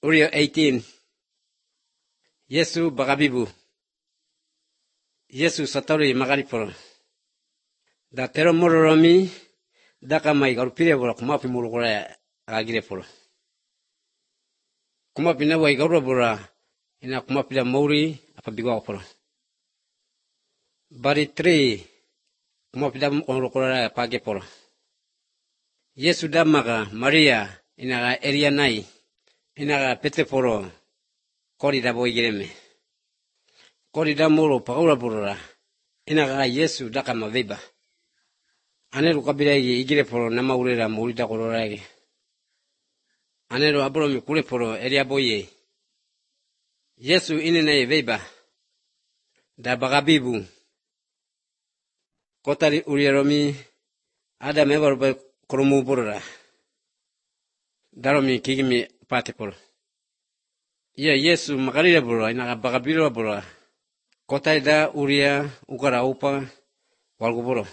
Uriel 18. Yesu bagabibu. Yesu satori magariporo. Da tero mororomi daka mai garupire bora kumapi murugora agire poro. Kumapi na wai garura bora ina kumapi da mauri apa bigwa poro. Bari 3 kumapi da murugora page poro. Yesu da maga Maria ina ga eria nai ina ga pete poro kori da boy gireme. Kori da moro paura bora ina ga Yesu daka maveba. Anero kabila igire poro na maurera muri da kororage. Anero abro mi kule poro eria boye. Yesu ine na veba. Da bagabibu. Kotari urieromi ada mebarbe koromu borora. Daromi kigimi pate poro. Yesu magarira bora ina bagabiro bora. Kotari da uria ukara upa walgo boro.